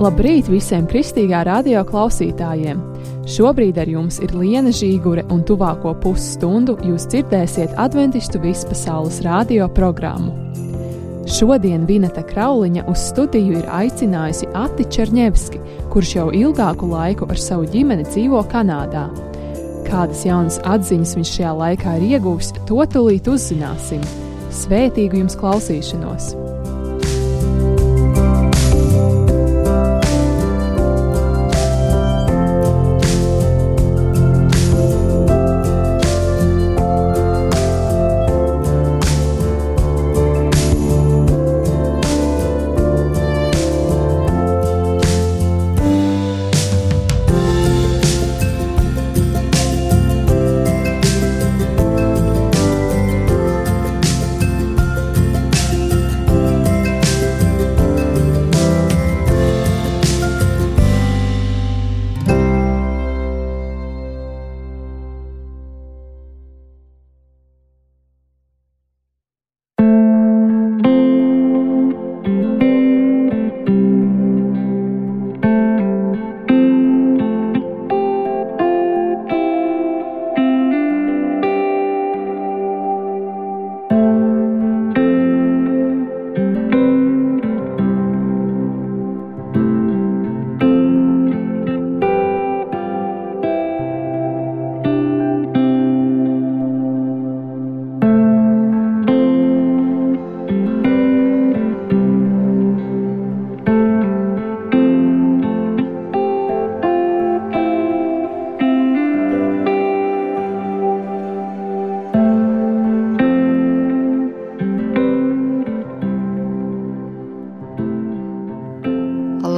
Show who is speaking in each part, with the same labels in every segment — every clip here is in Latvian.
Speaker 1: Labrīt visiem Kristīgā radio klausītājiem! Šobrīd ar jums ir Liena Žīgure un tuvāko pusstundu jūs dzirdēsiet Adventistu vispasaules radio programmu. Šodien Vineta Krauliņa uz studiju ir aicinājusi Ati Čerņevski, kurš jau ilgāku laiku ar savu ģimeni dzīvo Kanādā. Kādas jaunas atziņas viņš šajā laikā ir ieguvis, to tūlīt uzzināsim. Svētīgu jums klausīšanos!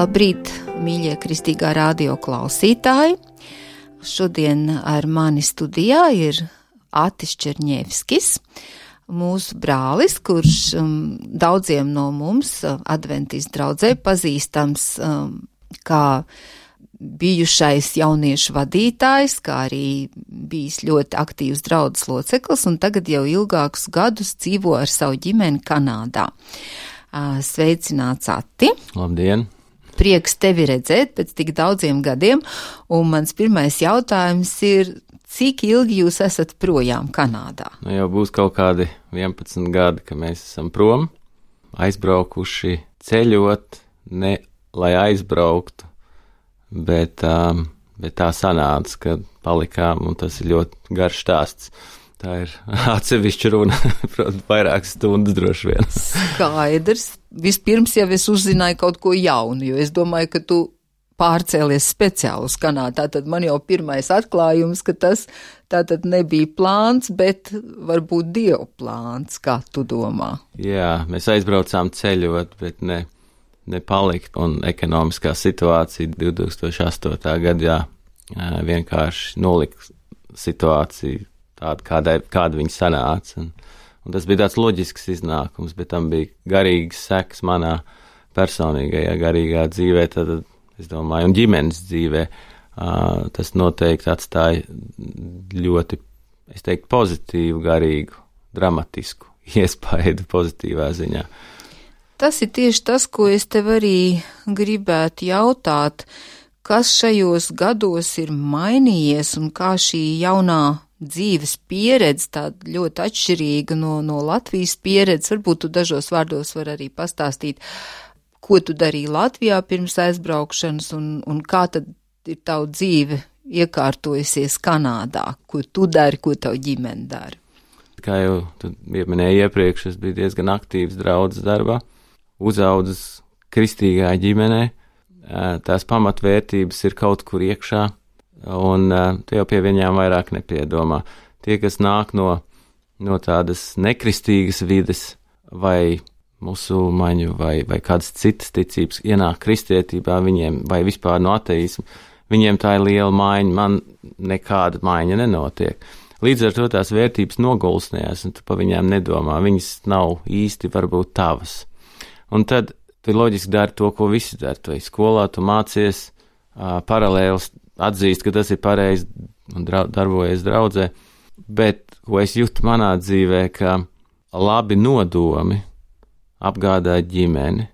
Speaker 2: Labrīt, mīļie Kristīgā radio klausītāji! Šodien ar mani studijā ir Atis Čerņevskis, mūsu brālis, kurš daudziem no mums adventistu draudzē pazīstams kā bijušais jauniešu vadītājs, kā arī bijis ļoti aktīvs draudzes loceklis un tagad jau ilgākus gadus dzīvo ar savu ģimeni Kanādā. Sveicināts, Ati!
Speaker 3: Labdien!
Speaker 2: Prieks tevi redzēt pēc tik daudziem gadiem, un mans pirmais jautājums ir, cik ilgi jūs esat projām Kanādā?
Speaker 3: Jau būs kaut kādi 11 gadi, ka mēs esam prom, aizbraukuši ceļot, ne lai aizbrauktu, bet tā sanāca, ka palikām, un tas ir ļoti garš stāsts. Tā ir atsevišķa runa, protams, vairākas stundas droši vien.
Speaker 2: Skaidrs. Vispirms jau es uzzināju kaut ko jaunu, jo es domāju, ka tu pārcēlies speciāli uz Kanādu. Tātad man jau pirmais atklājums, ka tas tātad nebija plāns, bet varbūt Dieva plāns, kā tu domā.
Speaker 3: Jā, mēs aizbraucām ceļot, bet ne palikt. Un ekonomiskā situācija 2008. gadā vienkārši nolika situāciju tāda, kāda viņa sanāca. Un tas bija tāds loģisks iznākums, bet tam bija garīgas sekas manā personīgajā garīgā dzīvē, tad es domāju, un ģimenes dzīvē. Tas noteikti atstāja ļoti, es teiktu, pozitīvu, garīgu, dramatisku iespaidu pozitīvā ziņā.
Speaker 2: Tas ir tieši tas, ko es tev arī gribētu jautāt, kas šajos gados ir mainījies un kā šī jaunā dzīves pieredze, tāda ļoti atšķirīga no Latvijas pieredzes. Varbūt tu dažos vārdos var arī pastāstīt, ko tu darīji Latvijā pirms aizbraukšanas un kā tad ir tavu dzīve iekārtojusies Kanādā, ko tu dari, ko tavu ģimene dara.
Speaker 3: Kā jau tu minēji iepriekš, es biju diezgan aktīvs draudzes darbā, uzaudzis kristīgā ģimenē, tās pamatvērtības ir kaut kur iekšā, un tu jau pie viņām vairāk nepiedomā. Tie, kas nāk no tādas nekristīgas vides vai musulmaņu vai kādas citas ticības, ienāk kristietībā viņiem vai vispār no ateismu, viņiem tā ir liela maiņa, man nekāda maiņa nenotiek. Līdz ar to tās vērtības nogulsnējās, un tu pa viņām nedomā, viņas nav īsti varbūt tavas. Un tad tu loģiski dari to, ko visi dara. Tu skolā, tu mācies paralēli atzīst, ka tas ir pareizi un darbojies draudzē, bet ko es jūtu manā dzīvē, ka labi nodomi apgādāt ģimeni,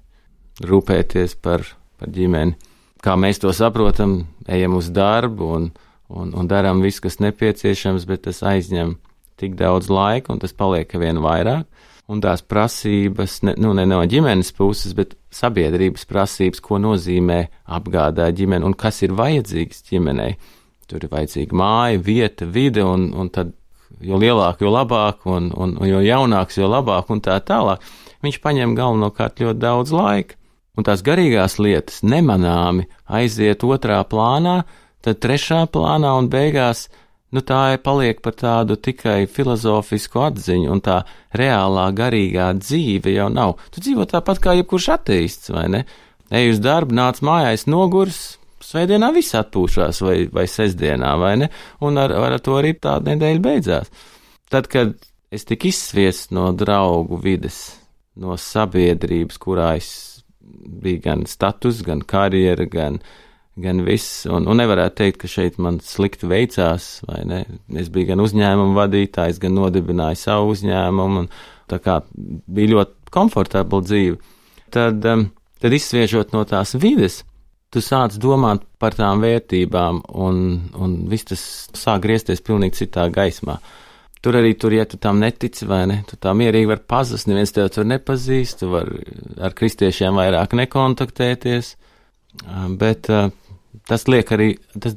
Speaker 3: rūpēties par par ģimeni. Kā mēs to saprotam, ejam uz darbu un darām visu, kas nepieciešams, bet tas aizņem tik daudz laika un tas paliek vien vairāk. Un tās prasības, ne no ģimenes puses, bet sabiedrības prasības, ko nozīmē apgādāt ģimeni un kas ir vajadzīgs ģimenei. Tur ir vajadzīga māja, vieta, vide, un tad jo lielāk, jo labāk, un jo jaunāks, jo labāk, un tā tālāk. Viņš paņem galvenokārt ļoti daudz laika. Un tās garīgās lietas nemanāmi aiziet otrā plānā, tad trešā plānā un beigās tā paliek par tādu tikai filozofisku atziņu, un tā reālā garīgā dzīve jau nav. Tu dzīvo tāpat kā jebkurš ateists, vai ne? Ej uz darbu, nāc mājās nogurs, svētdienā viss atpūšās, vai sestdienā, vai ne? Un ar to arī tā nedēļa beidzās. Tad, kad es tik izsviests no draugu vides, no sabiedrības, kurā es bija gan status, gan karjera, gan viss, un nevarētu teikt, ka šeit man slikti veicās, vai ne? Es biju gan uzņēmumu vadītājs, gan nodibināju savu uzņēmumu, un tā kā bija ļoti komfortabla dzīve. Tad izsviežot no tās vides, tu sāc domāt par tām vērtībām, un viss tas sāk griezties pilnīgi citā gaismā. Ja tu tam netici, vai ne, tu tā mierīgi var pazust, neviens tev tur nepazīst, tu var ar kristiešiem vairāk nekontaktēties, bet tas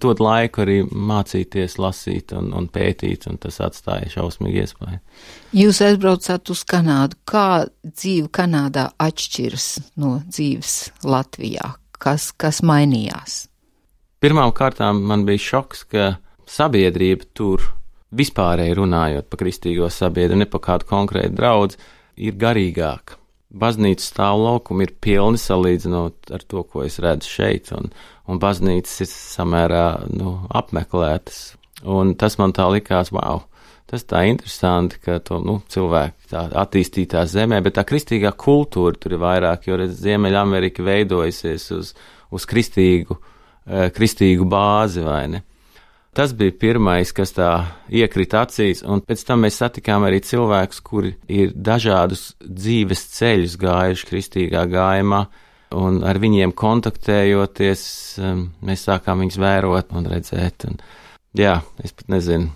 Speaker 3: dod laiku arī mācīties, lasīt un pētīt, un tas atstāja šausmīgi iespēju.
Speaker 2: Jūs aizbraucāt uz Kanādu. Kā dzīve Kanādā atšķiras no dzīves Latvijā? Kas mainījās?
Speaker 3: Pirmām kārtām man bija šoks, ka sabiedrība tur, vispārēji runājot par kristīgo sabiedrību, ne par kādu konkrētu draudzi, ir garīgāka. Baznīcas stāvlaukumi ir pilni salīdzinot ar to, ko es redzu šeit, un baznīcas ir samērā apmeklētas. Un tas man tā likās, wow, tas tā interesanti, ka to cilvēki tā attīstītā zemē, bet tā kristīgā kultūra tur ir vairāk, jo Ziemeļamerika veidojusies uz kristīgu bāzi, vai ne? Tas bija pirmais, kas tā iekrita acīs, un pēc tam mēs satikām arī cilvēkus, kuri ir dažādus dzīves ceļus gājuši kristīgā gājumā, un ar viņiem kontaktējoties, mēs sākām viņus vērot un redzēt. Es pat nezinu,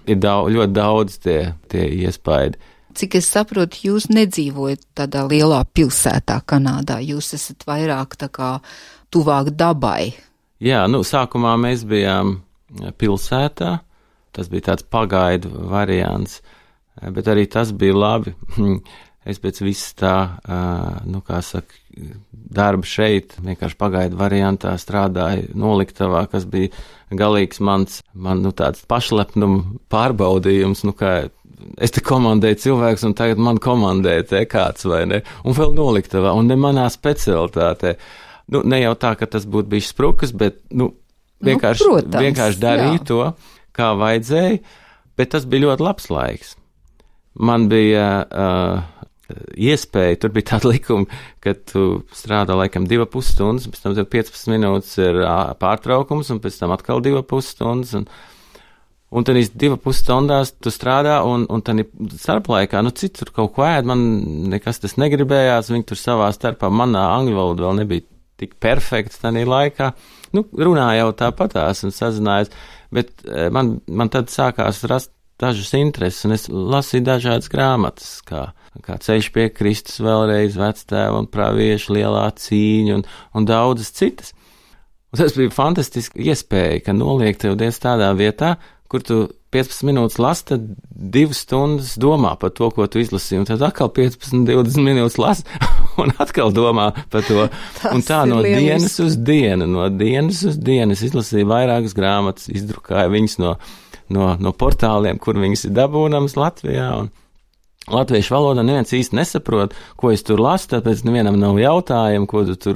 Speaker 3: ir ļoti daudz tie iespaidi.
Speaker 2: Cik es saprotu, jūs nedzīvojat tādā lielā pilsētā Kanādā, jūs esat vairāk tā kā tuvāk dabai.
Speaker 3: Jā, sākumā mēs bijām pilsētā, tas bija tāds pagaidu variants, bet arī tas bija labi. Es pēc viss tā, darba šeit, vienkārši pagaidu variantā strādāju noliktavā, kas bija galīgs man tāds pašlepnuma pārbaudījums, kā es te komandēju cilvēks un tagad man komandē te kāds, vai ne, un vēl noliktavā, un ne manā specialitātē. Ne jau tā, ka tas būtu bijis sprukas, bet, vienkārši darīju to, kā vajadzēja, bet tas bija ļoti labs laiks. Man bija iespēja, tur bija tāda likuma, ka tu strādā laikam 2,5 stundas, pēc tam tev 15 minūtes ir pārtraukums, un pēc tam atkal 2,5 stundas, un tad 2,5 stundās tu strādā, un tad starplaikā, citur kaut ko ēd, man nekas tas negribējās, viņi tur savā starpā, manā angļu valoda vēl nebija tik perfekts tādā laikā, runāja jau tāpatās un sazinājās, bet man tad sākās rast dažas intereses, un es lasīju dažādas grāmatas, kā Ceļš pie Kristus vēlreiz, Vectēva un Pravieša lielā cīņa un daudzas citas. Un tas bija fantastiski iespēja, ka noliek tev Dievs tādā vietā, kur tu 15 minūtes lasi, tad 2 stundas domā par to, ko tu izlasīji, un tad atkal 15-20 minūtes lasi, un atkal domā par to. Un tā no dienas uz dienu es izlasīju vairākas grāmatas, izdrukāju viņas no portāliem, kur viņas ir dabūnamas Latvijā, un latviešu valodā neviens īsti nesaprot, ko es tur lasu, tāpēc nevienam nav jautājumu, ko tu tur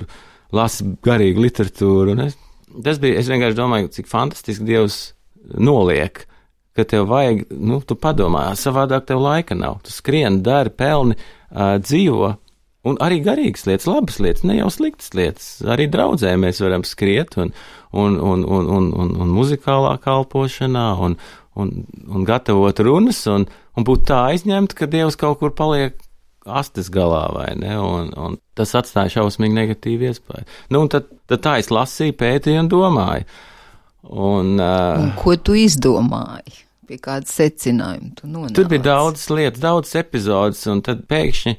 Speaker 3: lasi garīgu literatūru. Es vienkārši domāju, cik fantastiski Dievs noliek, ka tev vajag, tu padomā, savādāk tev laika nav. Tu skrien, dari, pelni, dzīvo, un arī garīgas lietas, labas lietas, ne jau sliktas lietas. Arī draudzē mēs varam skriet un muzikālā kalpošanā un gatavot runas un būt tā aizņemt, ka Dievs kaut kur paliek astes galā, vai ne, un tas atstāja šausmīgi negatīvu iespēju. Nu, un tad tā es lasīju, pētīju un domāju. Un
Speaker 2: ko tu izdomāji? Pie kāda secinājuma tu nonāci?
Speaker 3: Tur bija daudzas lietas, daudzas epizodes, un tad pēkšņi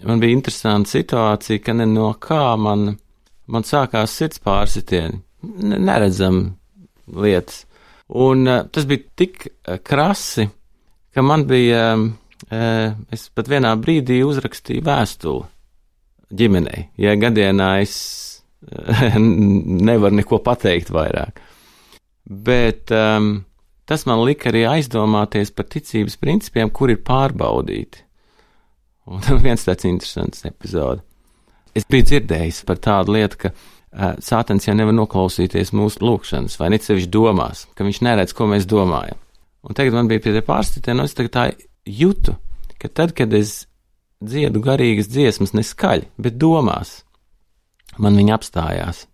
Speaker 3: man bija interesanta situācija, ka no kā man sākās sirds pārsitieni, neredzam lietas. Un tas bija tik krasi, ka man bija, es pat vienā brīdī uzrakstīju vēstuli ģimenei, ja gadienā es nevaru neko pateikt vairāk. Bet tas man lika arī aizdomāties par ticības principiem, kur ir pārbaudīti. Un viens tāds interesants epizode. Es biju dzirdējis par tādu lietu, ka Sātans jau nevar noklausīties mūsu lūkšanas, vai ne sevišķi domās, ka viņš neredz, ko mēs domājam. Un tagad man bija pie tie pārstāvjiem, un es tagad tā jūtu, ka tad, kad es dziedu garīgas dziesmas, ne skaļi, bet domās, man viņa apstājās.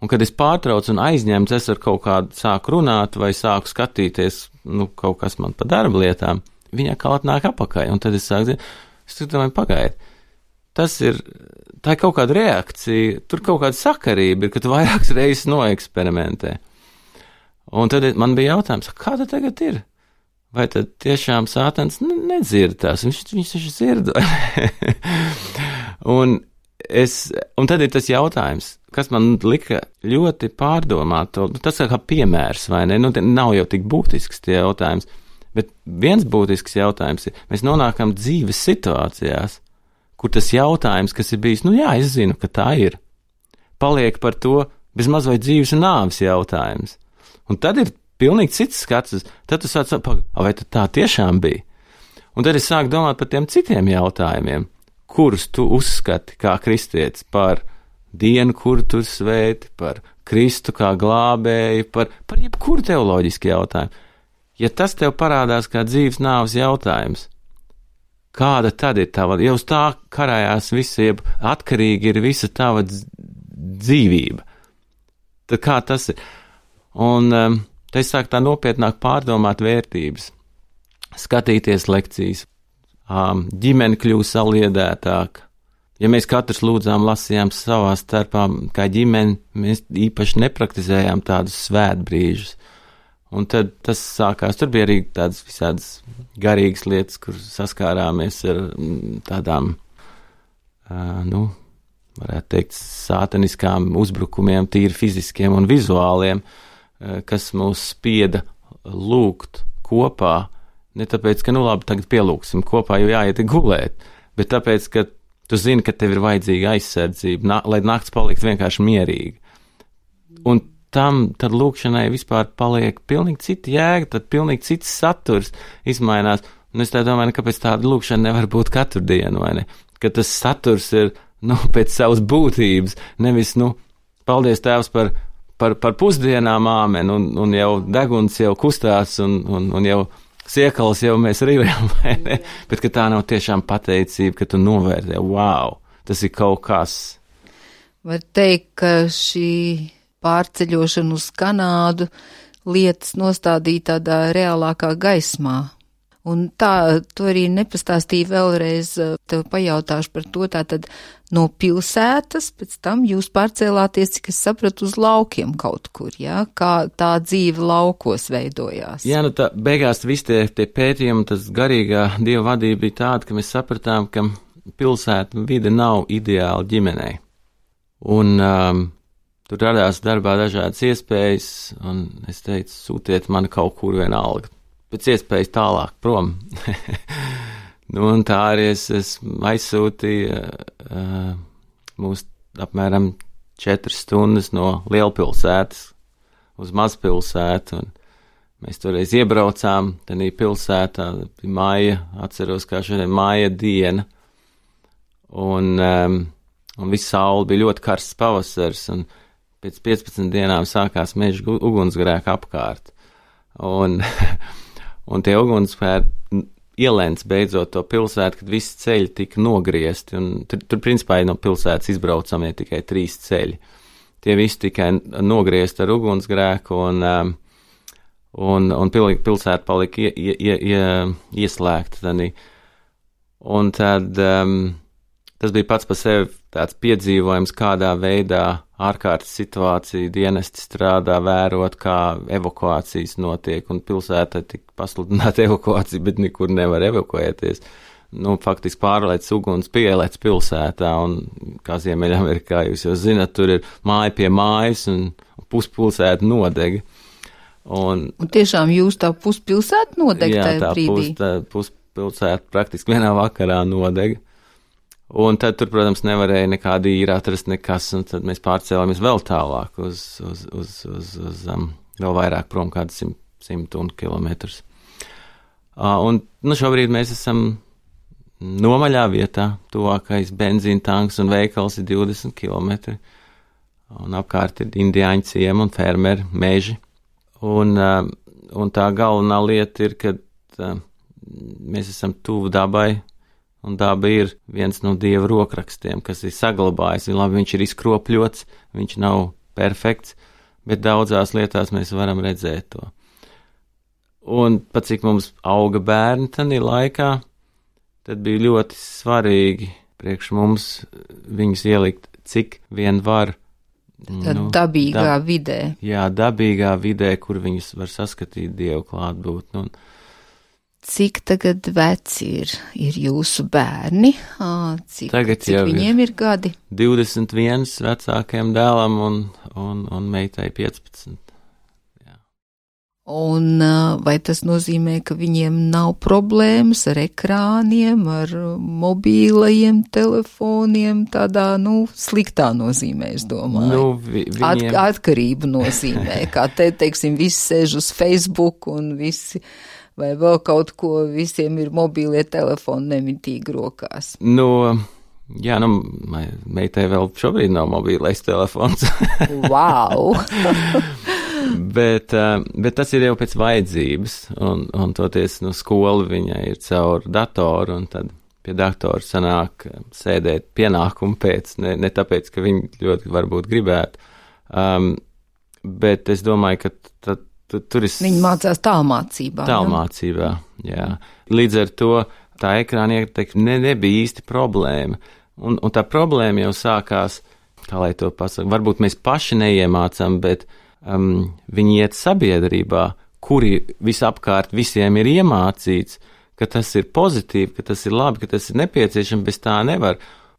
Speaker 3: Un kad es pārtraucu un aizņemts, es ar kaut kādu sāku runāt vai sāku skatīties, kaut kas man pa darba lietām, viņa kā atnāk apakaļ, un tad es sāku dzirdēt, es domāju, pagaidi, tā ir kaut kāda reakcija, tur kaut kāda sakarība ir, ka tu vairākas reizes noeksperimentē. Un tad man bija jautājums, kā tad tagad ir? Vai tad tiešām Sātans nedzird tās? Viņš taču dzird. un tad ir tas jautājums, kas man lika ļoti pārdomāt to, tas kā piemērs, vai ne? Nav jau tik būtisks tie jautājums, bet viens būtisks jautājums ir, mēs nonākam dzīves situācijās, kur tas jautājums, kas ir bijis, jā, es zinu, ka tā ir, paliek par to bezmaz vai dzīves un nāves jautājums. Un tad ir pilnīgi cits skats, tad tu sāc, vai tad tā tiešām bija? Un tad es sāku domāt par tiem citiem jautājumiem, kurus tu uzskati kā kristietis, par dienu, kuru tu svēti, par Kristu kā glābēju, par jebkuru teoloģisku jautājumu. Ja tas tev parādās kā dzīves nāves jautājums, kāda tad ir tava, jau uz tā karājās visa, jeb atkarīgi ir visa tava dzīvība. Tad kā tas ir? Un te es sāku tā nopietnāk pārdomāt vērtības, skatīties lekcijas, ģimene kļūst saliedētāka. Ja mēs katrs lūdzām, lasījām savā starpā kā ģimene, mēs īpaši nepraktizējām tādus svētbrīžus. Un tad tas sākās, tur bija arī tādas visādas garīgas lietas, kur saskārāmies ar tādām, varētu teikt, sātaniskām uzbrukumiem, tīri fiziskiem un vizuāliem, kas mūs spieda lūgt kopā, ne tāpēc, ka, labi, tagad pielūksim kopā, jo jāiet gulēt, bet tāpēc, ka tu zini, ka tev ir vajadzīga aizsardzība, lai nakts palikt vienkārši mierīgi. Un tad lūkšanai vispār paliek pilnīgi cita jēga, tad pilnīgi cits saturs izmainās. Un es tā domāju, kāpēc tāda lūkšana nevar būt katru dienu, vai ne? Ka tas saturs ir, pēc savas būtības, nevis, paldies Tēvs par pusdienām, āmen, un jau deguns jau kustās, un jau siekals jau mēs rīvējam, vai ne? Bet ka tā nav tiešām pateicība, ka tu novērtē, wow, tas ir kaut kas.
Speaker 2: Var teikt, ka šī pārceļošana uz Kanādu lietas nostādīja tādā reālākā gaismā. Un tā, tu arī nepastāstīji vēlreiz, tev pajautāšu par to, tātad no pilsētas, pēc tam jūs pārcēlāties, cik es sapratu, uz laukiem kaut kur, jā? Kā tā dzīve laukos veidojās?
Speaker 3: Jā, tā beigās visi tie pētījumi, tas garīgā Dieva vadība bija tāda, ka mēs sapratām, ka pilsēta vide nav ideāla ģimenei. Un tur radās darbā dažādas iespējas, un es teicu, sūtiet mani kaut kur vienalga. Pēc iespējas tālāk prom. Un tā arī es aizsūtīju mūs apmēram 4 stundas no lielpilsētas uz mazpilsētu, un mēs toreiz iebraucām tenī pilsētā, bija māja, atceros, kā šodien māja diena, un viss saule bija ļoti karsts pavasars, un pēc 15 dienām sākās meža ugunsgrēka apkārt. Un tie ugunsgrēki ielēns beidzot to pilsētu, kad visi ceļi tika nogriezti, un tur principā no pilsētas izbraucamie tikai 3 ceļi. Tie visi tikai nogriezti ar ugunsgrēku, un pilsēta palika ieslēgta. Un tad tas bija pats par sevi tāds piedzīvojums, kādā veidā ārkārtas situācija dienesti strādā, vērot, kā evakuācijas notiek, un pilsētā tika pasludināta evakuācija, bet nekur nevar evakuēties. Faktiski pārlēc uguns pielēc pilsētā, un kā Ziemeļamerikā jūs jau zinat, tur ir māja pie mājas, un puspilsēta nodega. Un
Speaker 2: tiešām jūs tā puspilsēta nodega tajā brīdī?
Speaker 3: Jā, tā puspilsēta praktiski vienā vakarā nodega. Un tad tur, protams, nevarēja nekādi īri atrast nekas, un tad mēs pārcēlāmies vēl tālāk uz vēl vairāk prom kādu 100 kilometrus. Un šobrīd mēs esam nomaļā vietā, tuvākais benzīna tanks un veikals ir 20 kilometri, un apkārt ir indiāņu ciemi un fermeri, meži. Un tā galvenā lieta ir, ka mēs esam tuvu dabai, un daba ir viens no Dieva rokrakstiem, kas ir saglabājis. Labi, viņš ir izkropļots, viņš nav perfekts, bet daudzās lietās mēs varam redzēt to. Un pat cik mums auga bērni tanī laikā, tad bija ļoti svarīgi priekš mums viņus ielikt, cik vien var.
Speaker 2: Dabīgā vidē.
Speaker 3: Jā, dabīgā vidē, kur viņus var saskatīt Dievu klātbūtni.
Speaker 2: Cik tagad veci ir jūsu bērni? Cik viņiem ir gadi?
Speaker 3: 21 vecākajam dēlam un meitai 15. Jā.
Speaker 2: Un vai tas nozīmē, ka viņiem nav problēmas ar ekrāniem, ar mobīlajiem telefoniem, tādā, sliktā nozīmē, es domāju? Atkarību nozīmē, kā teiksim, visi sēž uz Facebook un visi... vai vēl kaut ko, visiem ir mobīlie telefoni nemitīgi rokās.
Speaker 3: Meitai vēl šobrīd nav mobīlais telefons.
Speaker 2: Wow!
Speaker 3: bet tas ir jau pēc vajadzības, un toties skola viņai ir caur datoru, un tad pie datora sanāk sēdēt pienākumu pēc, ne tāpēc, ka viņi ļoti varbūt gribētu, bet es domāju, ka tur ir...
Speaker 2: Viņi mācās tālmācībā.
Speaker 3: Tālmācībā, jā. Līdz ar to tā ekrāna ietekme nebija īsti problēma. Un tā problēma jau sākās, kā lai to pasaka, varbūt mēs paši neiemācām, bet viņi iet sabiedrībā, kuri visapkārt visiem ir iemācīts, ka tas ir pozitīvi, ka tas ir labi, ka tas ir nepieciešams, bez tā nevar.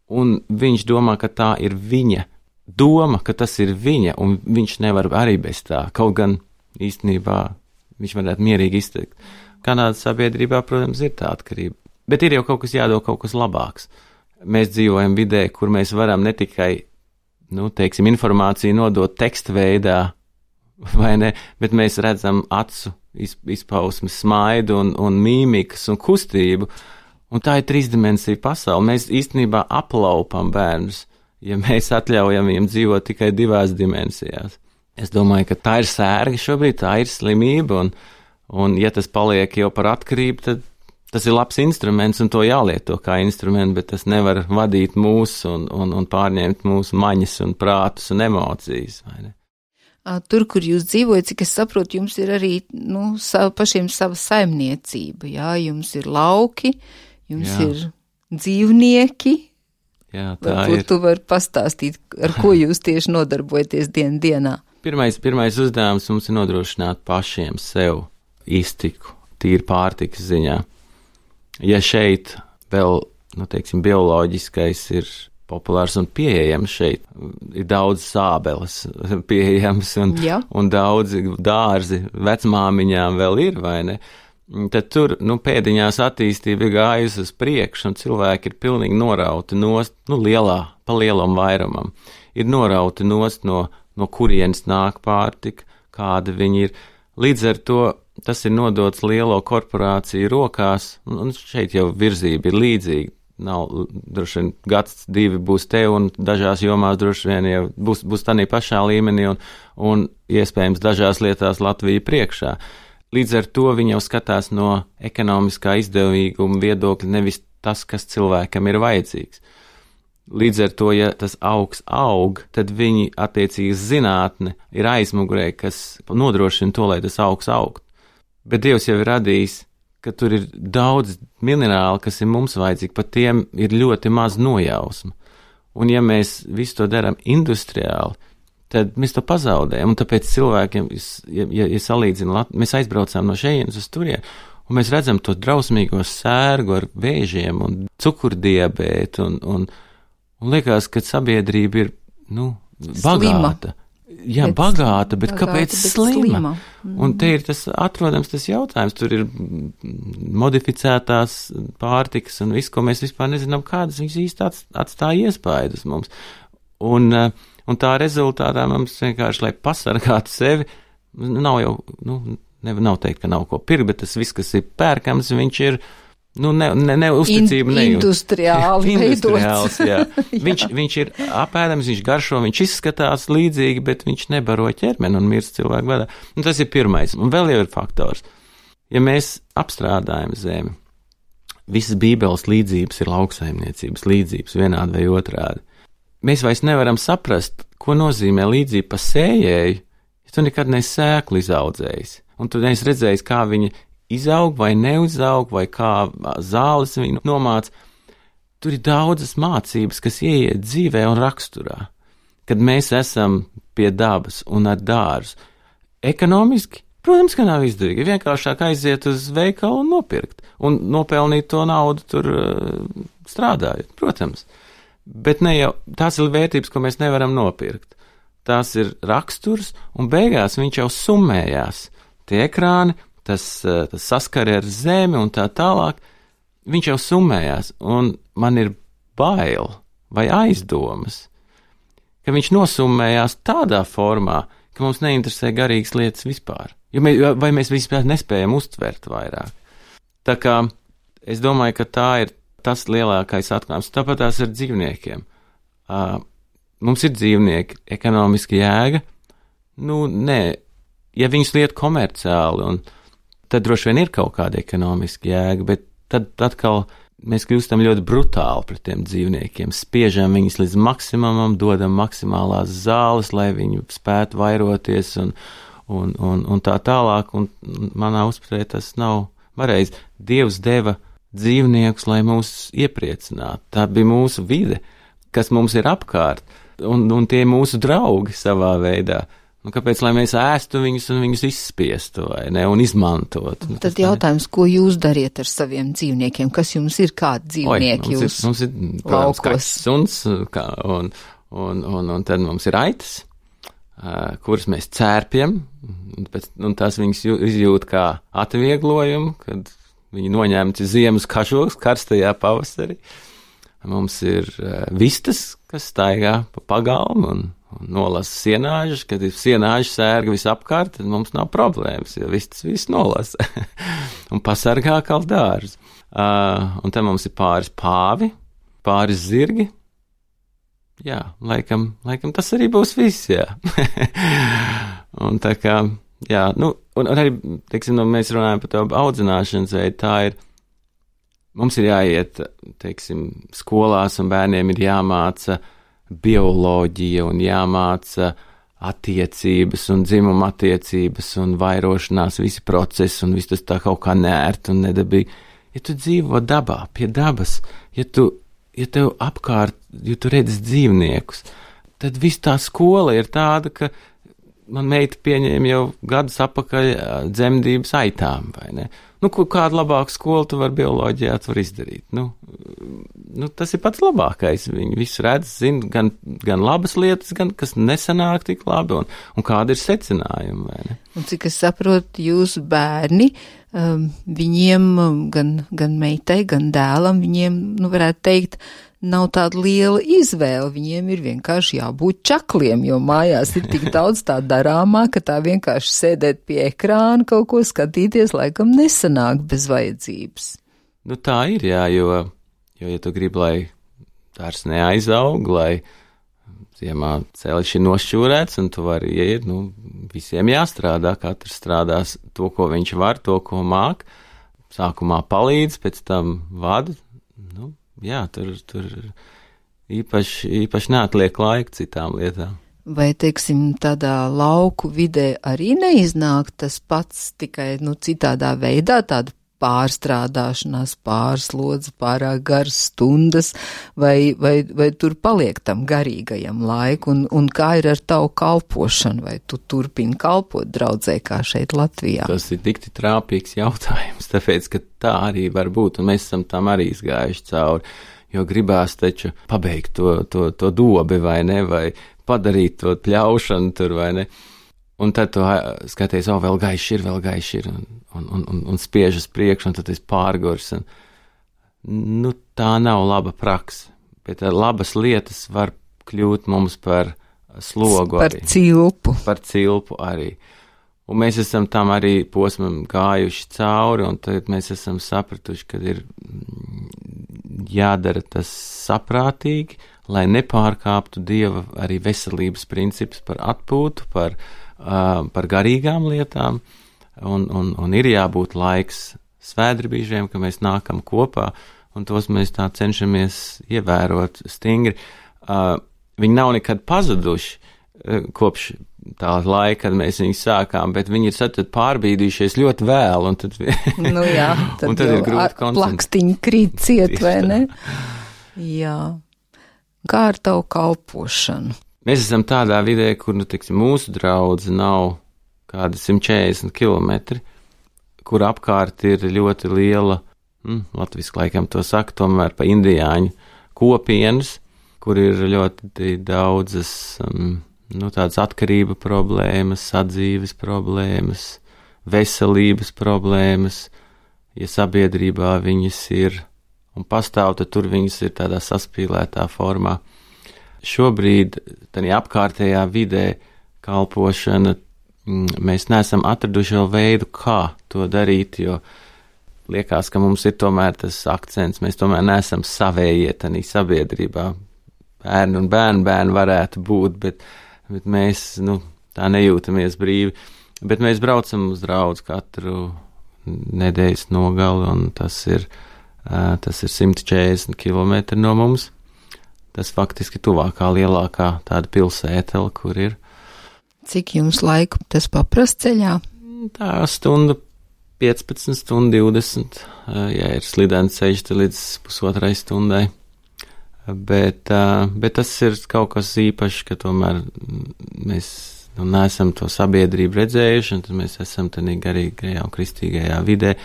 Speaker 3: Un viņš domā, ka tā ir viņa doma, ka tas ir viņa, un viņš nevar arī bez tā. Kaut gan īstenībā viņš varētu mierīgi izteikt. Kanādas sabiedrībā, protams, ir tā atkarība. Bet ir jau kaut kas jādod, kaut kas labāks. Mēs dzīvojam vidē, kur mēs varam ne tikai, informāciju nodot teksta veidā, vai ne, bet mēs redzam acu izpausmes, smaidu un mīmikas un kustību. Un tā ir trīsdimensija pasaule. Mēs īstenībā aplaupam bērnus, ja mēs atļaujam viņiem dzīvot tikai 2 dimensijās. Es domāju, ka tā ir sērga šobrīd, tā ir slimība, un ja tas paliek jau par atkarību, tad tas ir labs instruments, un to jālieto kā instrumentu, bet tas nevar vadīt mūs un pārņemt mūsu maņas un prātus un emocijas, vai ne?
Speaker 2: Tur, kur jūs dzīvojat, cik es saprotu, jums ir arī, pašiem sava saimniecība, jā, jums ir lauki, jums ir dzīvnieki.
Speaker 3: Jā, tā
Speaker 2: varbūt tu vari pastāstīt, ar ko jūs tieši nodarbojaties dienā.
Speaker 3: Pirmais uzdevums mums ir nodrošināt pašiem sev iztiku, tīri pārtikas ziņā. Ja šeit vēl, bioloģiskais ir populārs un pieejams šeit, ir daudz sābeles pieejams un daudzi dārzi vecmāmiņām vēl ir, vai ne? Tad tur, pēdiņās attīstība ir gājusi uz priekšu, un cilvēki ir pilnīgi norauti nost, pa lielam vairumam. Ir norauti nost no kurienes nāk pārtika, kāda viņi ir. Līdz ar to tas ir nodots lielo korporāciju rokās, un šeit jau virzība ir līdzīga. Nav, droši vien, 1-2 būs te, un dažās jomās droši vien jau būs tādā pašā līmenī, un iespējams dažās lietās Latvija priekšā. Līdz ar to viņi jau skatās no ekonomiskā izdevīguma viedokļa, nevis tas, kas cilvēkam ir vajadzīgs. Līdz ar to, ja tas augs aug, tad viņi attiecīgi zinātne ir aizmugurē, kas nodrošina to, lai tas augs augt. Bet Dievs jau ir radījis ka tur ir daudz minerāli, kas ir mums vajadzīgi, par tiem ir ļoti maz nojausma. Un ja mēs visu to darām industriāli, tad mēs to pazaudējam. Un tāpēc cilvēkiem, ja salīdzina, mēs aizbraucām no šejienes uz turien, un mēs redzam to drausmīgo sērgu ar vēžiem un cukurdiabētu, un liekas, ka sabiedrība ir, bagāta. Jā, bagāta, bet kāpēc slima? Un te ir atrodams tas jautājums, tur ir modificētās pārtikas un viss, ko mēs vispār nezinām, kādas viņas īsti atstāja iespaidu uz mums. Un tā rezultātā mums vienkārši, lai pasargātu sevi, nav jau, nav teikt, ka nav ko pirkt, bet tas viss, kas ir pērkams, viņš ir, uzticība nejūt. Industriāls, jā. Viņš ir apēdams, viņš garšo, viņš izskatās līdzīgi, bet viņš nebaro ķermeni un mirst cilvēku badā. Un tas ir pirmais. Un vēl jau ir faktors. Ja mēs apstrādājam zemi, visas Bībeles līdzības ir lauksaimniecības līdzības, vienādi vai otrādi. Mēs vairs nevaram saprast, ko nozīmē līdzība pa sējēju, ja tu nekad neesi sēklu izaudzējis. Un tu neesi redzējis, kā viņa izaug vai neuzaug, vai kā zāles viņu nomāc. Tur ir daudzas mācības, kas ieiet dzīvē un raksturā. Kad mēs esam pie dabas un ar dārzu. Ekonomiski, protams, ka nav izdevīgi. Vienkāršāk aiziet uz veikalu un nopirkt. Un nopelnīt to naudu tur strādājot, protams. Bet ne jau, tās ir vērtības, ko mēs nevaram nopirkt. Tās ir raksturs, un beigās viņš jau summējās. Tie ekrāni, tas saskari ar zemi un tā tālāk, viņš jau summējās, un man ir bail vai aizdomas, ka viņš nosummējās tādā formā, ka mums neinteresē garīgas lietas vispār, vai mēs vispār nespējam uztvert vairāk. Tā kā es domāju, ka tā ir tas lielākais atklājums, tāpat tās ar dzīvniekiem. Mums ir dzīvnieki, ekonomiski jēga, ja viņus liet komerciāli, un tad droši vien ir kaut kāda ekonomiska jēga, bet tad atkal mēs kļūstam ļoti brutāli pret tiem dzīvniekiem, spiežam viņus līdz maksimumam, dodam maksimālās zāles, lai viņi spētu vairoties un tā tālāk, un manā uzpratē tas nav pareizi. Dievs deva dzīvniekus, lai mūs iepriecinātu. Tā bija mūsu vide, kas mums ir apkārt, un tie mūsu draugi savā veidā. Kāpēc, lai mēs ēstu viņus un viņus izspiestu, vai ne, un izmantotu?
Speaker 2: Tad jautājums, ko jūs dariet ar saviem dzīvniekiem? Kas jums ir, kādi dzīvnieki
Speaker 3: mums ir, protams, kaķis, suns, un tad mums ir aitas, kuras mēs cērpjam, un tās viņas izjūt kā atvieglojumu, kad viņi noņemti ziemas kažoks karstajā pavasarī. Mums ir vistas, kas staigā pa pagalmu un nolasa sienāžas, kad ir sienāžas sērga visapkārt, tad mums nav problēmas, jo viss nolasa un pasargā kā dārzu. Un tad mums ir pāris pāvi, pāris zirgi. Jā, laikam tas arī būs viss, jā. Un tā kā, jā, un arī, teiksim, mēs runājam par to audzināšanas veidu, tā ir, mums ir jāiet, teiksim, skolās un bērniem ir jāmāca bioloģija un jāmāca attiecības un dzimuma attiecības un vairošanās, visi procesi un viss tas tā kaut kā nērt un nedabīgi. Ja tu dzīvo dabā, pie dabas, ja tev apkārt, ja tu redzi dzīvniekus, tad viss tā skola ir tāda, ka man meita pieņēma jau gadus apakaļ dzemdības aitām, vai ne? Kādu labāku skolu tu vari bioloģijā izdarīt? Tas ir pats labākais. Viņi visu redz, zina gan labas lietas, gan kas nesanāk tik labi, un kāda ir secinājuma, vai ne?
Speaker 2: Un cik es saprotu, jūsu bērni, viņiem, gan meitai, gan dēlam, viņiem, varētu teikt, nav tāda liela izvēle, viņiem ir vienkārši jābūt čakliem, jo mājās ir tik daudz tā darāmā, ka tā vienkārši sēdēt pie ekrāna, kaut ko skatīties, laikam nesanāk bez vajadzības.
Speaker 3: Tā ir, jā, jo ja tu gribi, lai dārs neaizaug, lai ziemā ceļš ir nošķūrēts, un tu vari iet, visiem jāstrādā, katrs strādās to, ko viņš var, to, ko māk, sākumā palīdz, pēc tam vada, jā, tur īpaši neatliek laika citām lietām.
Speaker 2: Vai, teiksim, tādā lauku vidē arī neiznāk tas pats, tikai, citādā veidā, tādu pārstrādāšanās, pārslodze, pārāk garas stundas, vai tur paliek tam garīgajam laiku, un kā ir ar tavu kalpošanu, vai tu turpini kalpot draudzē kā šeit Latvijā?
Speaker 3: Tas ir tik trāpīgs jautājums, tāpēc, ka tā arī var būt, un mēs esam tam arī izgājuši cauri, jo gribās taču pabeigt to dobi, vai ne, vai padarīt to pļaušanu tur, vai ne. Un tad tu skaties, vēl gaiši ir, un spiež uz priekšu, un tad es pārgurs. Nu, tā nav laba praksa, bet labas lietas var kļūt mums par slogu arī. Par cilpu arī. Un mēs esam tam arī posmam gājuši cauri, un tad mēs esam sapratuši, ka ir jādara tas saprātīgi, lai nepārkāptu Dieva arī veselības principus par atpūtu, par garīgām lietām, un ir jābūt laiks svētdarbīžiem, ka mēs nākam kopā, un tos mēs tā cenšamies ievērot stingri. Viņi nav nekad pazuduši kopš tā laika, kad mēs viņus sākām, bet viņi ir tad pārbīdījušies ļoti vēl, un tad,
Speaker 2: nu jā, tad
Speaker 3: ir grūti koncentrēt.
Speaker 2: Plakstiņi krīt ciet, vai ne? Jā. Kā ar tavu kalpošanu?
Speaker 3: Mēs esam tādā vidē, kur, mūsu draudze nav kādi 140 kilometri, kur apkārt ir ļoti liela, latviski laikam to saka, tomēr pa indiāņu kopienas, kur ir ļoti daudzas, tādas atkarība problēmas, sadzīves problēmas, veselības problēmas, ja sabiedrībā viņas ir un pastāv, tad tur viņas ir tādā saspīlētā formā. Šobrīd, tādā apkārtējā vidē kalpošana, mēs neesam atraduši vēl veidu, kā to darīt, jo liekas, ka mums ir tomēr tas akcents, mēs tomēr neesam savējie tādā sabiedrībā. Bērni un bērni varētu būt, bet mēs, tā nejūtamies brīvi. Bet mēs braucam uz draudzi katru nedēļas nogali, un tas ir 140 kilometri no mums. Tas faktiski tuvākā lielākā tāda pilsētela, kur ir.
Speaker 2: Cik jums laiku tas paprast ceļā?
Speaker 3: Tā stundu 15, stundu 20, ja ir slidens ceļš, tad līdz pusotrai stundai. Bet tas ir kaut kas īpašs, ka tomēr mēs neesam to sabiedrību redzējuši, un tad mēs esam tādā garīgajā un kristīgajā vidē.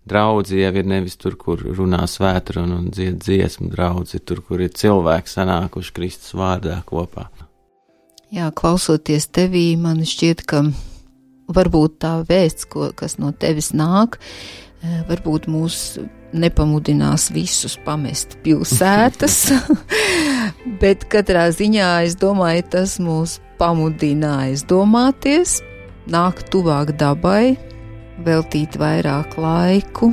Speaker 3: Draudzi jau ir nevis tur, kur runā svētrunu un dzied dziesmu, draudzi ir tur, kur ir cilvēki sanākuši Kristus vārdā kopā.
Speaker 2: Jā, klausoties tevī, man šķiet, ka varbūt tā vēsts, kas no tevis nāk, varbūt mūs nepamudinās visus pamest pilsētas, bet katrā ziņā, es domāju, tas mūs pamudina aizdomāties, nākt tuvāk dabai, veltīt vairāk laiku,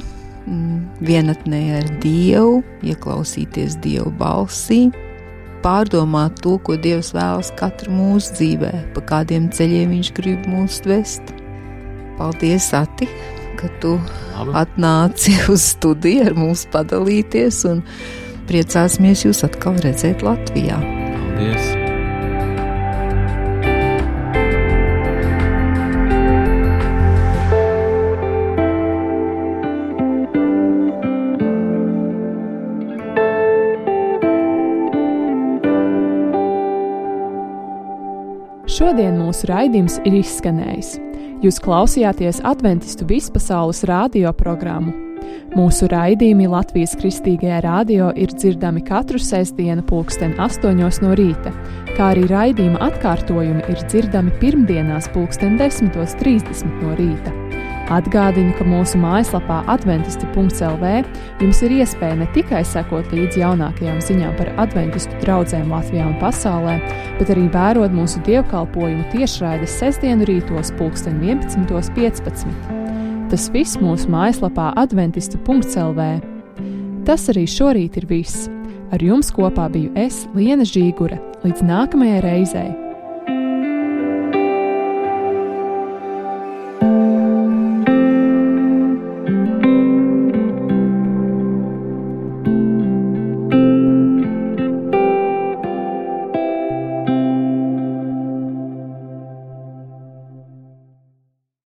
Speaker 2: vienatnē ar Dievu, ieklausīties Dieva balsī, pārdomāt to, ko Dievs vēlas katru mūsu dzīvē, pa kādiem ceļiem viņš grib mūs vest. Paldies, Ati, ka tu atnāci uz studiju ar mums padalīties, un priecāsimies jūs atkal redzēt Latvijā.
Speaker 3: Paldies!
Speaker 1: Šodien mūsu raidījums ir izskanējis. Jūs klausījāties Adventistu vispasaules radio programmu. Mūsu raidījumi Latvijas Kristīgajā radio ir dzirdami katru sestdienu 8:00 no rīta, kā arī raidījuma atkārtojumi ir dzirdami pirmdienās 10:30 no rīta. Atgādinu, ka mūsu mājaslapā adventisti.lv jums ir iespēja ne tikai sekot līdz jaunākajām ziņām par adventistu draudzēm Latvijā un pasaulē, bet arī vērot mūsu dievkalpojumu tiešraides sestdienu rītos 11:15. Tas viss mūsu mājaslapā adventisti.lv. Tas arī šorīt ir viss. Ar jums kopā biju es, Liena Žīgure. Līdz nākamajai reizei!